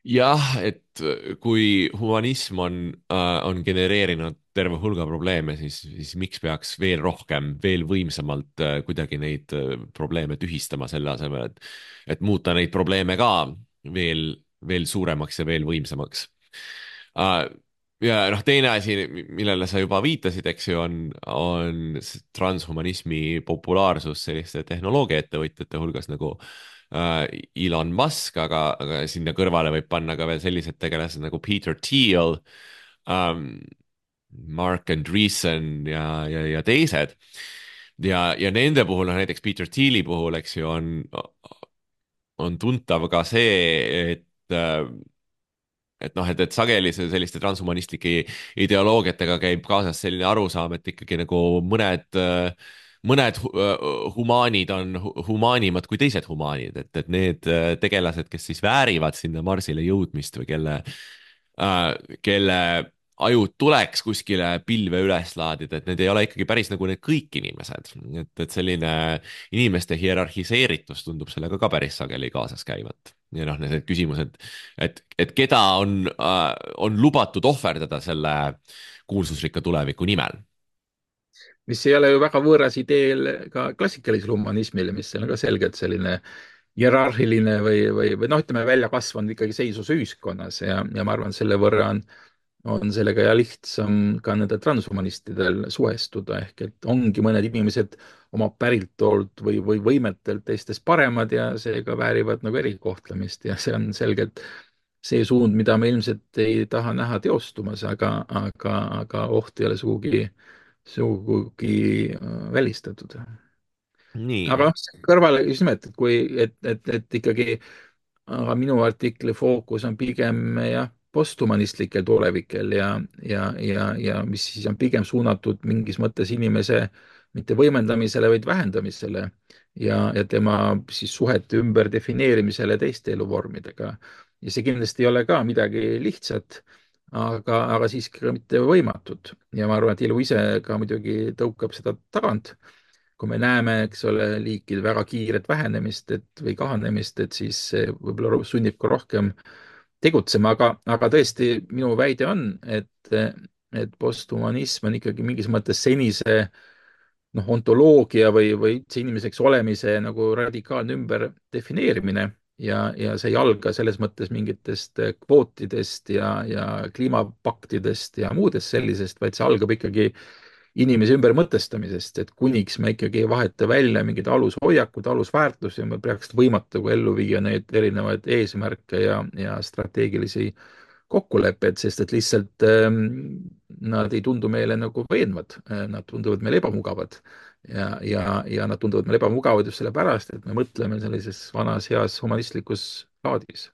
jah, et äh, kui humanism on äh,, on genereerinud terve hulga probleeme, siis, siis miks peaks veel rohkem, veel võimsamalt äh, kuidagi neid äh, probleeme tühistama, selle asemel, et, et muuta neid probleeme ka veel, veel suuremaks ja veel võimsamaks äh,. ja noh, teine asi, millele sa juba viitasid, eks ju, on, on transhumanismi populaarsus selliste tehnoloogiaettevõtjate hulgas nagu äh, Elon Musk, aga, aga sinna kõrvale võib panna ka veel sellised tegelased nagu Peter Thiel ähm,, Mark Andreessen ja, ja, ja teised. ja, ja nende puhul, noh näiteks Peter Thieli puhul, eks ju, on, on tuntav ka see, et äh, et noh, et, et sageli see selliste transhumanistlike ideoloogiatega käib kaasas selline arusaam, et ikkagi nagu mõned, mõned humaanid on humaanimad kui teised humaanid, et, et need tegelased, kes siis väärivad sinna Marsile jõudmist või kelle, kelle ajud tuleks kuskile pilve üles laadida, et need ei ole ikkagi päris nagu need kõik inimesed. et, et selline inimeste hierarhiseeritus tundub sellega ka päris sageli kaasas käivat. ja noh, need küsimused, et, et keda on äh,, on lubatud ohverdada selle kuulsusrikka tuleviku nimel. mis ei ole ju väga võõras ideel ka klassikalisele humanismile, mis on ka selgelt selline hierarhiline või, või, või noh, ütleme välja kasvanud ikkagi seisus ühiskonnas ja, ja ma arvan, selle võrra on on sellega ja lihtsam ka nende transhumanistidel suhestuda, ehk et ongi mõned inimesed oma päriltoolt või, või võimetelt teistest paremad ja seega väärivad nagu erikohtlemist ja see on selgelt see suund, mida me ilmselt ei taha näha teostumas, aga, aga, aga oht ei ole sugugi, sugugi äh, välistatud. nii. aga noh, kõrvale just nimelt, et kui, et, et, et ikkagi, aga minu artikli fookus on pigem jah, posthumanistlikel tulevikel ja, ja, ja, ja mis siis on pigem suunatud mingis mõttes inimese mitte võimendamisele, vaid vähendamisele ja, ja tema siis suhete ümberdefineerimisele teiste eluvormidega. ja see kindlasti ei ole ka midagi lihtsat, aga, aga siiski ka mitte võimatud. ja ma arvan, et elu ise ka muidugi tõukab seda tagant. kui me näeme, eks ole, liikide väga kiiret vähenemist, et või kahanemist, et siis see võib-olla sunnib ka rohkem tegutsema, aga, aga tõesti minu väide on, et, et posthumanism on ikkagi mingis mõttes senise noh, ontoloogia või, või üldse inimeseks olemise nagu radikaalne ümberdefineerimine ja, ja see ei alga selles mõttes mingitest kvootidest ja, ja kliimapaktidest ja muudest sellisest, vaid see algab ikkagi inimese ümbermõtestamisest, et kuniks me ikkagi ei vaheta välja mingid alushoiakud, alusväärtusi, me peaks võimatu ellu viia neid erinevaid eesmärke ja, ja strateegilisi kokkulepped, sest et lihtsalt ähm, nad ei tundu meile nagu veenvad, nad tunduvad meile ebamugavad. ja, ja, ja nad tunduvad meile ebamugavad just sellepärast, et me mõtleme sellises vanas heas humanistlikus laadis.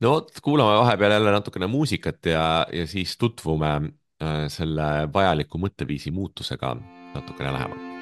no vot, kuulame vahepeal jälle natukene muusikat ja, ja siis tutvume äh, selle vajaliku mõtteviisi muutusega natukene lähemalt.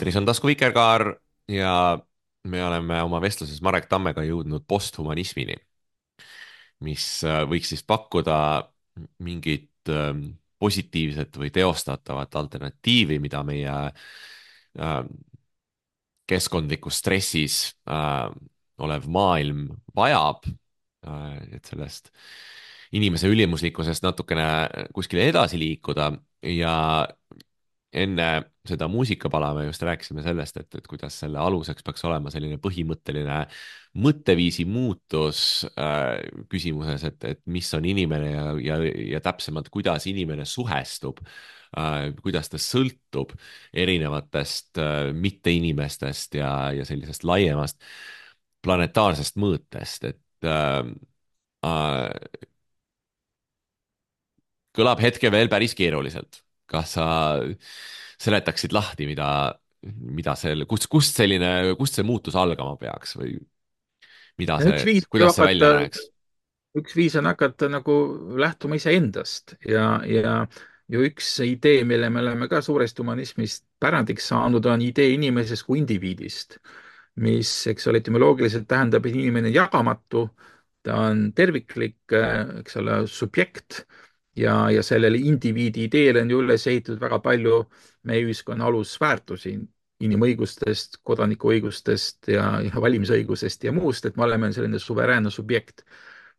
eetris on Tasku Vikerkaar ja me oleme oma vestluses Marek Tammega jõudnud posthumanismini, mis võiks siis pakkuda mingit positiivset või teostatavat alternatiivi, mida meie keskkondlikus stressis olev maailm vajab, et sellest inimese ülimuslikkusest natukene kuskile edasi liikuda ja enne seda muusikapala me just rääkisime sellest, et, et kuidas selle aluseks peaks olema selline põhimõtteline mõtteviisi muutus äh, küsimuses, et, et mis on inimene ja, ja, ja täpsemalt, kuidas inimene suhestub äh,, kuidas ta sõltub erinevatest äh, mitteinimestest ja, ja sellisest laiemast planetaarsest mõõtest, et äh, äh, kõlab hetke veel päris keeruliselt. Kas sa seletaksid lahti, mida, mida selle, kust, kust selline, kust see muutus algama peaks või mida üks see, viis kuidas see välja hakata, näeks? üks viis on hakata nagu lähtuma iseendast ja, ja ju üks idee, mille me oleme ka suurest humanismist pärandiks saanud, on idee inimesest kui indiviidist, mis, eks ole, etümoloogiliselt tähendab, et inimene on jagamatu, ta on terviklik, eks ole, subjekt ja, ja sellele indiviidi ideele on ju üles ehitatud väga palju meie ühiskonna alusväärtusi, inimõigustest, kodanikuõigustest ja, ja valimisõigusest ja muust, et me oleme selline suveräänne subjekt.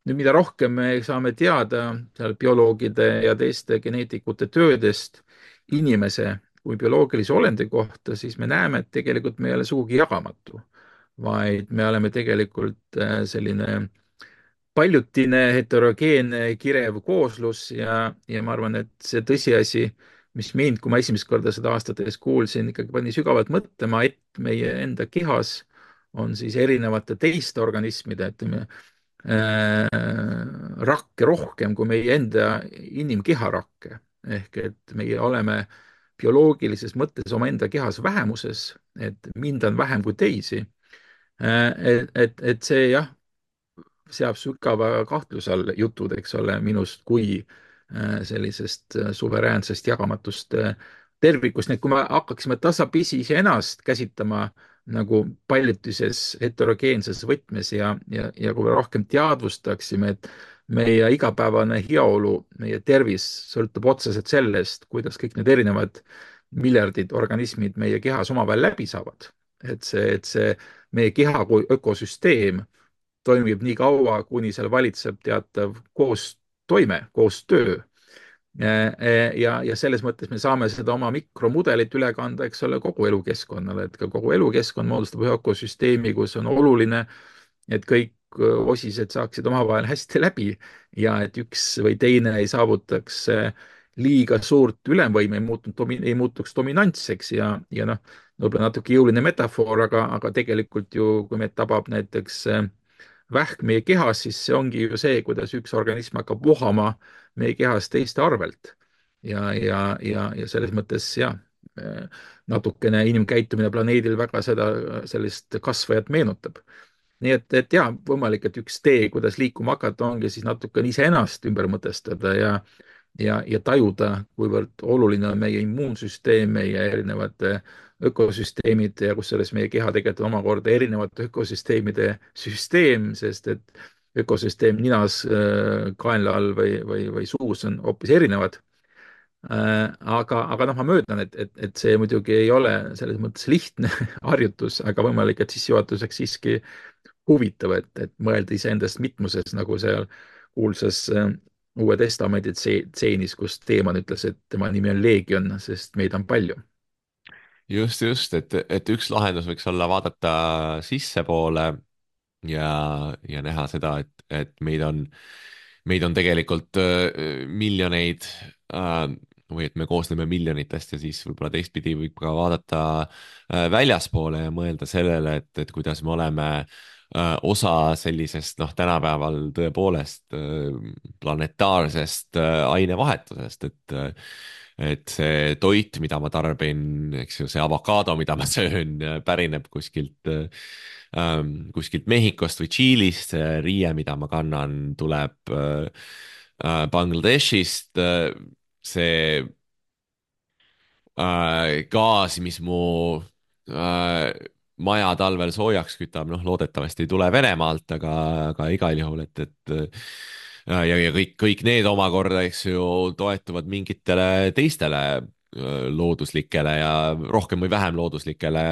Nüüd, mida rohkem me saame teada seal bioloogide ja teiste geneetikute töödest inimese kui bioloogilise olendi kohta, siis me näeme, et tegelikult me ei ole sugugi jagamatu, vaid me oleme tegelikult äh, selline paljutine, heterogeenne, kirev kooslus ja, ja ma arvan, et see tõsiasi, mis mind, kui ma esimest korda seda aastates kuulsin, ikkagi pani sügavalt mõtlema, et meie enda kehas on siis erinevate teiste organismide, ütleme, äh, rakke rohkem kui meie enda inimkeha rakke. Ehk et meie oleme bioloogilises mõttes omaenda kehas vähemuses, et mind on vähem kui teisi. Äh, et, et, et see jah, seab sügava kahtluse all jutud, eks ole, minust kui äh, sellisest äh, suveräänsest jagamatust äh, tervikust. nii et kui me hakkaksime tasapisi iseennast käsitlema nagu paljutises heterogeenses võtmes ja, ja, ja kui me rohkem teadvustaksime, et meie igapäevane heaolu, meie tervis sõltub otseselt sellest, kuidas kõik need erinevad miljardid organismid meie kehas omavahel läbi saavad. et see, et see meie keha kui ökosüsteem toimib nii kaua, kuni seal valitseb teatav koostoime, koostöö. ja, ja selles mõttes me saame seda oma mikromudelit üle kanda, eks ole, kogu elukeskkonnale, et ka kogu elukeskkond moodustab ühe ökosüsteemi, kus on oluline, et kõik osised saaksid omavahel hästi läbi ja et üks või teine ei saavutaks liiga suurt ülemvõime, ei muutunud, ei muutuks dominantseks ja, ja noh, võib-olla natuke jõuline metafoor, aga, aga tegelikult ju, kui meid tabab näiteks vähk meie kehas, siis see ongi ju see, kuidas üks organism hakkab vohama meie kehas teiste arvelt. ja, ja, ja, ja selles mõttes jah, natukene inimkäitumine planeedil väga seda, sellist kasvajat meenutab. nii et, et jaa, võimalik, et üks tee, kuidas liikuma hakata, ongi siis natukene iseennast ümber mõtestada ja ja, ja tajuda, kuivõrd oluline on meie immuunsüsteem, meie erinevad ökosüsteemid ja kusjuures meie keha tegelikult on omakorda erinevate ökosüsteemide süsteem, sest et ökosüsteem ninas, kaenla all või, või, või suus on hoopis erinevad. Aga, aga noh, ma möödan, et, et, et see muidugi ei ole selles mõttes lihtne harjutus, aga võimalik, et sissejuhatuseks siiski huvitav, et, et mõelda iseendast mitmuses, nagu seal kuulsas Uue Testamendi tseenis, kus Teeman ütles, et tema nimi on Leegion, sest meid on palju. just, just, et, et üks lahendus võiks olla vaadata sissepoole ja, ja näha seda, et, et meid on, meid on tegelikult äh, miljoneid äh, või et me koosneme miljonitest ja siis võib-olla teistpidi võib ka vaadata äh, väljaspoole ja mõelda sellele, et, et kuidas me oleme äh, osa sellisest, noh, tänapäeval tõepoolest äh, planetaarsest äh, ainevahetusest, et äh, et see toit, mida ma tarbin, eks ju, see avokaado, mida ma söön, pärineb kuskilt ähm, kuskilt Mehhikost või Tšiilist, see riie, mida ma kannan, tuleb äh, Bangladeshist, see äh, gaas, mis mu äh, maja talvel soojaks kütab, noh, loodetavasti ei tule Venemaalt, aga, aga igal juhul, et, et äh, ja, ja kõik, kõik need omakorda, eks ju, toetuvad mingitele teistele äh, looduslikele ja rohkem või vähem looduslikele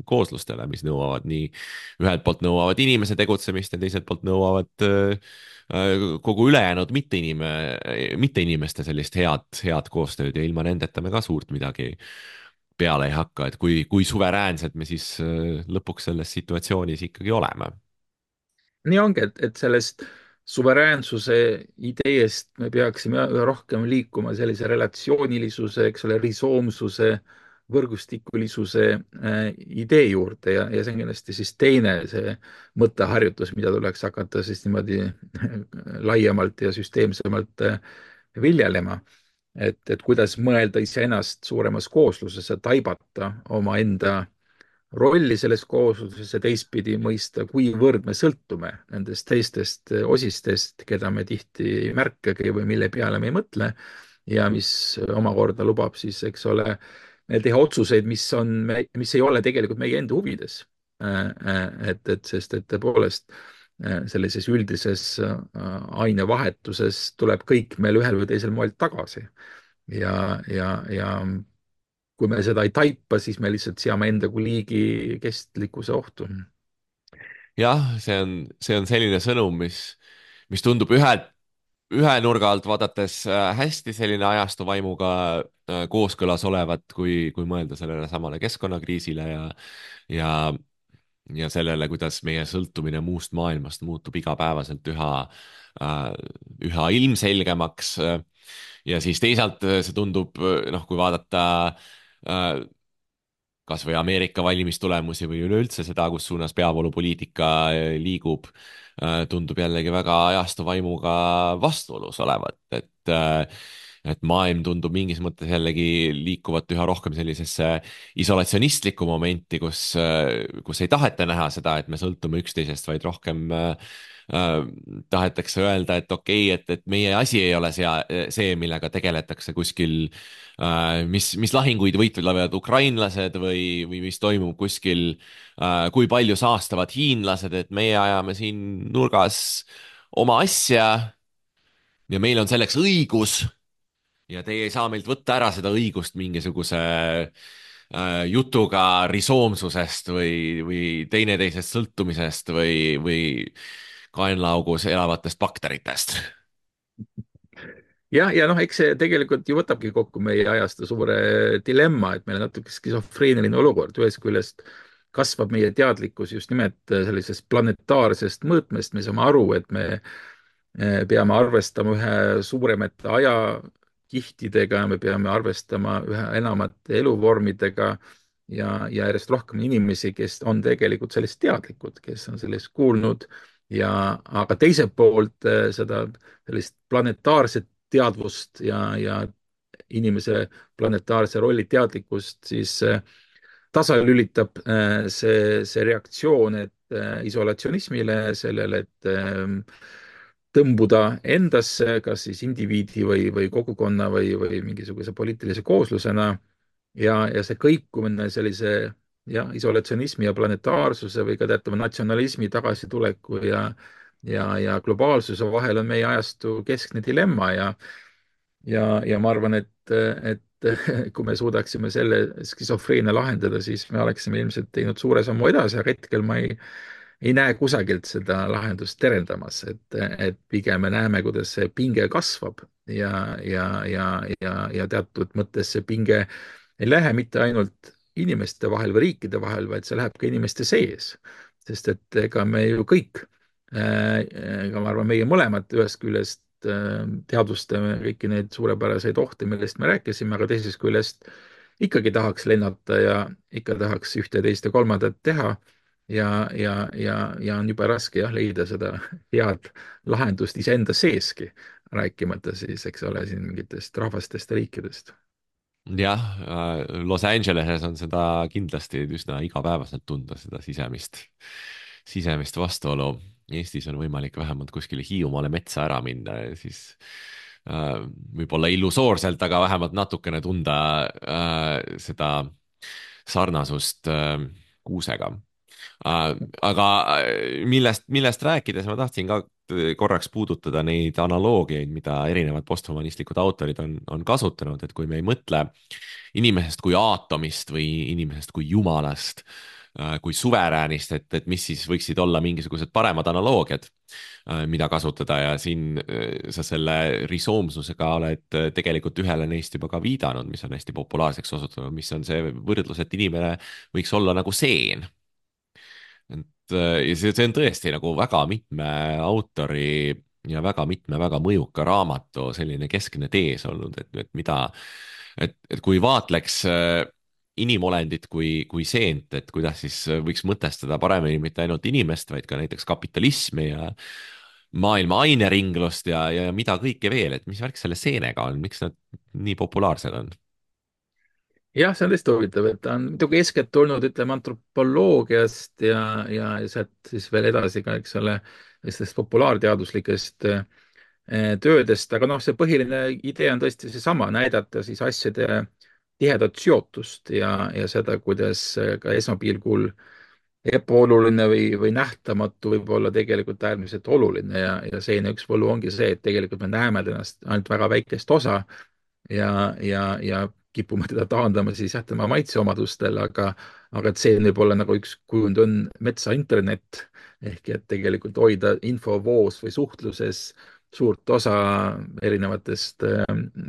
kooslustele, mis nõuavad nii, ühelt poolt nõuavad inimese tegutsemist ja teiselt poolt nõuavad äh, kogu ülejäänud mitte inime, mitte inimeste sellist head, head koostööd ja ilma nendeta me ka suurt midagi peale ei hakka, et kui, kui suveräänsed me siis lõpuks selles situatsioonis ikkagi oleme. nii ongi, et, et sellest suveräänsuse ideest me peaksime üha rohkem liikuma sellise relatsioonilisuse, eks ole, risoomsuse, võrgustikulisuse äh, idee juurde ja, ja see on kindlasti siis teine see mõtteharjutus, mida tuleks hakata siis niimoodi laiemalt ja süsteemsemalt äh, viljelema. et, et kuidas mõelda iseennast suuremas koosluses ja taibata omaenda rolli selles koosluses ja teistpidi mõista, kuivõrd me sõltume nendest teistest osistest, keda me tihti ei märkagi või mille peale me ei mõtle ja mis omakorda lubab siis, eks ole, meil teha otsuseid, mis on, mis ei ole tegelikult meie enda huvides. et, et sest, et tõepoolest sellises üldises ainevahetuses tuleb kõik meil ühel või teisel moel tagasi. ja, ja, ja kui me seda ei taipa, siis me lihtsalt seame enda kui liigi kestlikkuse ohtu. jah, see on, see on selline sõnum, mis, mis tundub ühelt, ühe nurga alt vaadates äh, hästi selline ajastu vaimuga äh, kooskõlas olevat, kui, kui mõelda sellele samale keskkonnakriisile ja, ja, ja sellele, kuidas meie sõltumine muust maailmast muutub igapäevaselt üha, äh, üha ilmselgemaks. ja siis teisalt see tundub, noh, kui vaadata äh, kas või Ameerika valimistulemusi või üleüldse seda, kus suunas peavoolupoliitika liigub, tundub jällegi väga ajastu vaimuga vastuolus olevat, et et maailm tundub mingis mõttes jällegi liikuvat üha rohkem sellisesse isolatsionistlikku momenti, kus, kus ei taheta näha seda, et me sõltume üksteisest, vaid rohkem äh, tahetakse öelda, et okei okay,, et, et meie asi ei ole see, see, millega tegeletakse kuskil äh,, mis, mis lahinguid võitlevad ukrainlased või, või mis toimub kuskil äh,, kui palju saastavad hiinlased, et meie ajame siin nurgas oma asja ja meil on selleks õigus ja teie ei saa meilt võtta ära seda õigust mingisuguse äh, jutuga risoomsusest või, või teineteisest sõltumisest või, või kaenlaaugus elavatest bakteritest. jah, ja noh, eks see tegelikult ju võtabki kokku meie ajastu suure dilemma, et meil on natuke skisofreeniline olukord. Ühest küljest kasvab meie teadlikkus just nimelt sellisest planetaarsest mõõtmest, me saame aru, et me peame arvestama ühe suuremate ajakihtidega, me peame arvestama ühe enamate eluvormidega ja, ja järjest rohkem inimesi, kes on tegelikult sellest teadlikud, kes on sellest kuulnud ja, aga teiselt poolt seda sellist planetaarset teadvust ja, ja inimese planetaarse rolli teadlikkust siis tasalülitab see, see reaktsioon, et isolatsionismile, sellele, et tõmbuda endasse, kas siis indiviidi või, või kogukonna või, või mingisuguse poliitilise kooslusena ja, ja see kõikumine sellise jah, isolatsionismi ja planetaarsuse või ka teatava natsionalismi tagasituleku ja, ja, ja globaalsuse vahel on meie ajastu keskne dilemma ja, ja, ja ma arvan, et, et kui me suudaksime selle skisofreenia lahendada, siis me oleksime ilmselt teinud suure sammu edasi, aga hetkel ma ei ei näe kusagilt seda lahendust terendamas, et, et pigem me näeme, kuidas see pinge kasvab ja, ja, ja, ja, ja teatud mõttes see pinge ei lähe mitte ainult inimeste vahel või riikide vahel, vaid see läheb ka inimeste sees. sest et ega me ju kõik, ega ma arvan, meie mõlemad ühest küljest teadvustame kõiki neid suurepäraseid ohte, millest me rääkisime, aga teisest küljest ikkagi tahaks lennata ja ikka tahaks ühte, teist ja kolmandat teha ja, ja, ja, ja on jube raske jah, leida seda head lahendust iseenda seeski, rääkimata siis, eks ole, siin mingitest rahvastest ja riikidest. jah, Los Angeleses on seda kindlasti üsna igapäevaselt tunda, seda sisemist, sisemist vastuolu. Eestis on võimalik vähemalt kuskile Hiiumaale metsa ära minna ja siis äh, võib-olla illusoorselt, aga vähemalt natukene tunda äh, seda sarnasust äh, kuusega. aga millest, millest rääkides ma tahtsin ka korraks puudutada neid analoogiaid, mida erinevad posthumanistlikud autorid on, on kasutanud, et kui me ei mõtle inimesest kui aatomist või inimesest kui jumalast, kui suveräänist, et, et mis siis võiksid olla mingisugused paremad analoogiad, mida kasutada ja siin sa selle risoomsusega oled tegelikult ühele neist juba ka viidanud, mis on hästi populaarseks osutunud, mis on see võrdlus, et inimene võiks olla nagu seen. et ja see, see on tõesti nagu väga mitme autori ja väga mitme väga mõjuka raamatu selline keskne tees olnud, et, et mida, et, et kui vaatleks inimolendit kui, kui seent, et kuidas siis võiks mõtestada paremini mitte ainult inimest, vaid ka näiteks kapitalismi ja maailma aineringlust ja, ja mida kõike veel, et mis värk selle seenega on, miks nad nii populaarsed on? jah, see on tõesti huvitav, et ta on muidugi eeskätt tulnud, ütleme, antropoloogiast ja, ja sealt siis veel edasi ka, eks ole, sellistest populaarteaduslikest töödest, aga noh, see põhiline idee on tõesti seesama, näidata siis asjade tihedat seotust ja, ja seda, kuidas ka esmapilgul ebaoluline või, või nähtamatu võib olla tegelikult äärmiselt oluline ja, ja seene üks võlu ongi see, et tegelikult me näeme ennast ainult väga väikest osa ja, ja, ja kipume teda taandama siis jah, tema maitseomadustel, aga, aga et see võib olla nagu üks kujund on metsa internet ehk et tegelikult hoida infovoos või suhtluses suurt osa erinevatest äh,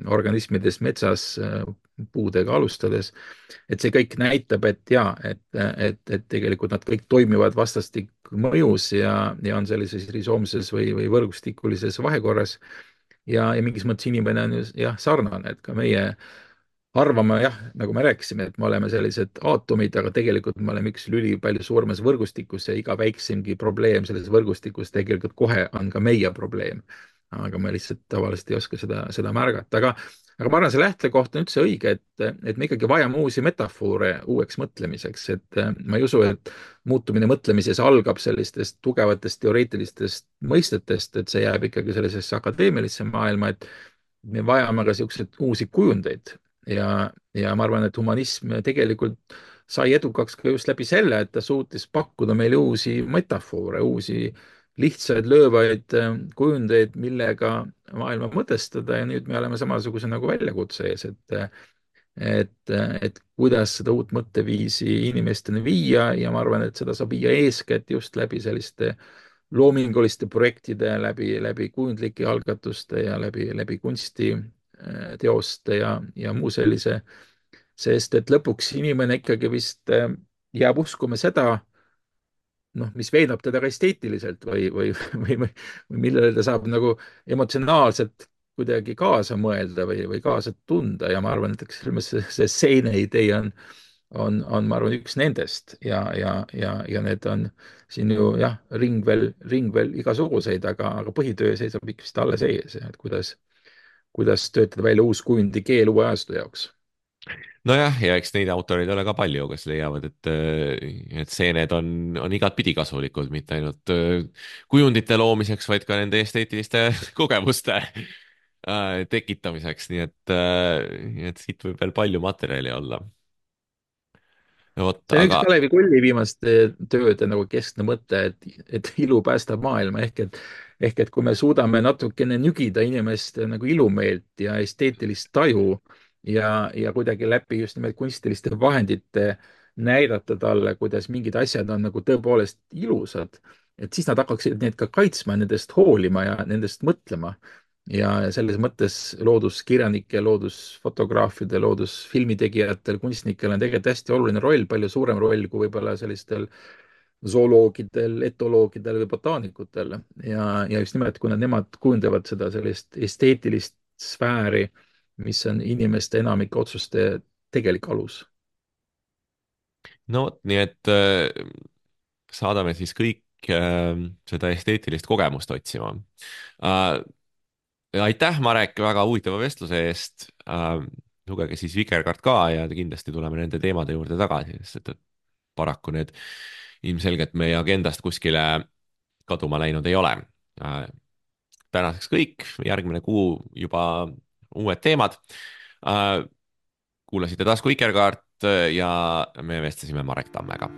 organismidest metsas äh, puudega alustades, et see kõik näitab, et ja, et, et, et tegelikult nad kõik toimivad vastastikku mõjus ja, ja on sellises risoomses või, või võrgustikulises vahekorras ja, ja mingis mõttes inimene on ju jah, sarnane, et ka meie arvame jah, nagu me rääkisime, et me oleme sellised aatomid, aga tegelikult me oleme üks lüli palju suuremas võrgustikus ja iga väiksemgi probleem selles võrgustikus tegelikult kohe on ka meie probleem. Aga me lihtsalt tavaliselt ei oska seda, seda märgata, aga aga ma arvan, see lähtekoht on üldse õige, et, et me ikkagi vajame uusi metafoore uueks mõtlemiseks, et ma ei usu, et muutumine mõtlemises algab sellistest tugevatest teoreetilistest mõistetest, et see jääb ikkagi sellisesse akadeemilisse maailma, et me vajame ka niisuguseid uusi kujundeid ja, ja ma arvan, et humanism tegelikult sai edukaks ka just läbi selle, et ta suutis pakkuda meile uusi metafoore, uusi lihtsaid löövaid kujundeid, millega maailma mõtestada ja nüüd me oleme samasuguse nagu väljakutse ees, et et, et kuidas seda uut mõtteviisi inimesteni viia ja ma arvan, et seda saab viia eeskätt just läbi selliste loominguliste projektide, läbi, läbi kujundlike algatuste ja läbi, läbi kunstiteoste ja, ja muu sellise, sest et lõpuks inimene ikkagi vist jääb uskuma seda, noh, mis veenab teda ka esteetiliselt või, või, või, või, või millele ta saab nagu emotsionaalselt kuidagi kaasa mõelda või, või kaasa tunda ja ma arvan, et eks see, see seene idee on, on, on, ma arvan, üks nendest ja, ja, ja, ja need on siin ju jah, ring veel, ring veel igasuguseid, aga, aga põhitöö seisab ikka vist alles ees, et kuidas, kuidas töötada välja uus kujundi keel uue ajastu jaoks. Nojah, ja eks neid autoreid ole ka palju, kes leiavad, et, et seened on, on igatpidi kasulikud, mitte ainult kujundite loomiseks, vaid ka nende esteetiliste kogemuste tekitamiseks, nii et, et siit võib veel palju materjali olla. Vot, see on üks aga Kalevi Kulli viimaste tööde nagu keskne mõte, et, et ilu päästab maailma ehk et, ehk et kui me suudame natukene nügida inimeste nagu ilumeelt ja esteetilist taju ja, ja kuidagi läbi just nimelt kunstiliste vahendite näidata talle, kuidas mingid asjad on nagu tõepoolest ilusad, et siis nad hakkaksid neid ka kaitsma, nendest hoolima ja nendest mõtlema ja selles mõttes looduskirjanike, loodusfotograafide, loodusfilmitegijatel, kunstnikel on tegelikult hästi oluline roll, palju suurem roll kui võib-olla sellistel zooloogidel, etoloogidel või botaanikutel. Ja, ja just nimelt, kuna nemad kujundavad seda sellist esteetilist sfääri, mis on inimeste enamike otsuste tegelik alus. no vot, nii et äh, saadame siis kõik äh, seda esteetilist kogemust otsima äh,. aitäh, Marek, väga huvitava vestluse eest äh,. lugege siis Vikerkaart ka ja kindlasti tuleme nende teemade juurde tagasi, sest et paraku need ilmselgelt meie agendast kuskile kaduma läinud ei ole äh,. tänaseks kõik, järgmine kuu juba uued teemad äh,. kuulasite Tasku Vikerkaart ja me vestlesime Marek Tammega.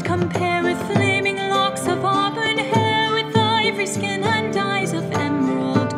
Compare with flaming locks of auburn hair, with ivory skin and eyes of emerald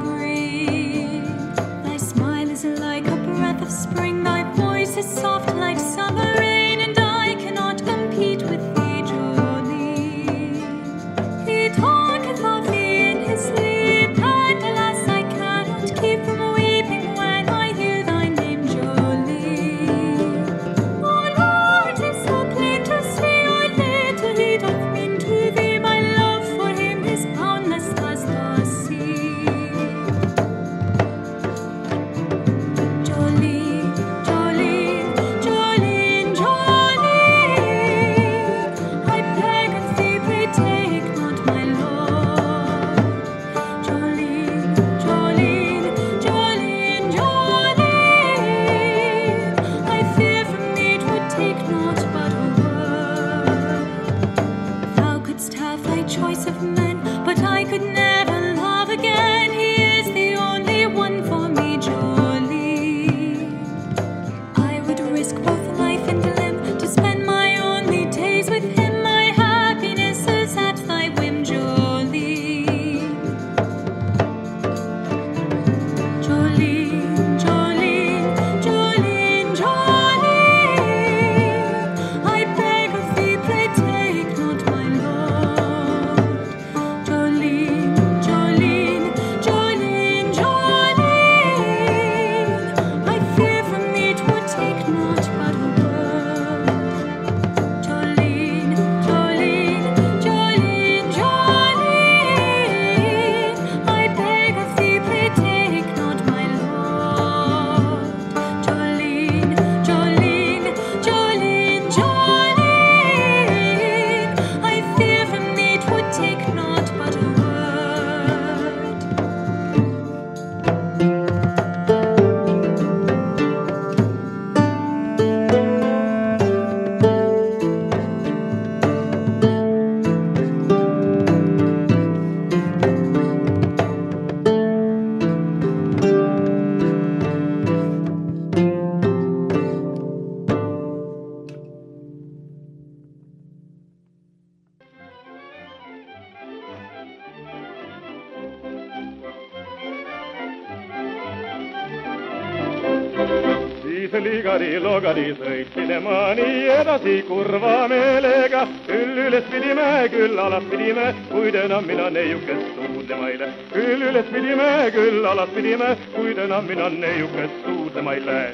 ligari, logari, sõitsime ma nii edasi kurva meelega. Küll üles pidime, küll alas pidime, kuid enam mina neiukest suudlema ei lähe. Küll üles pidime, küll alas pidime, kuid enam mina neiukest suudlema ei lähe.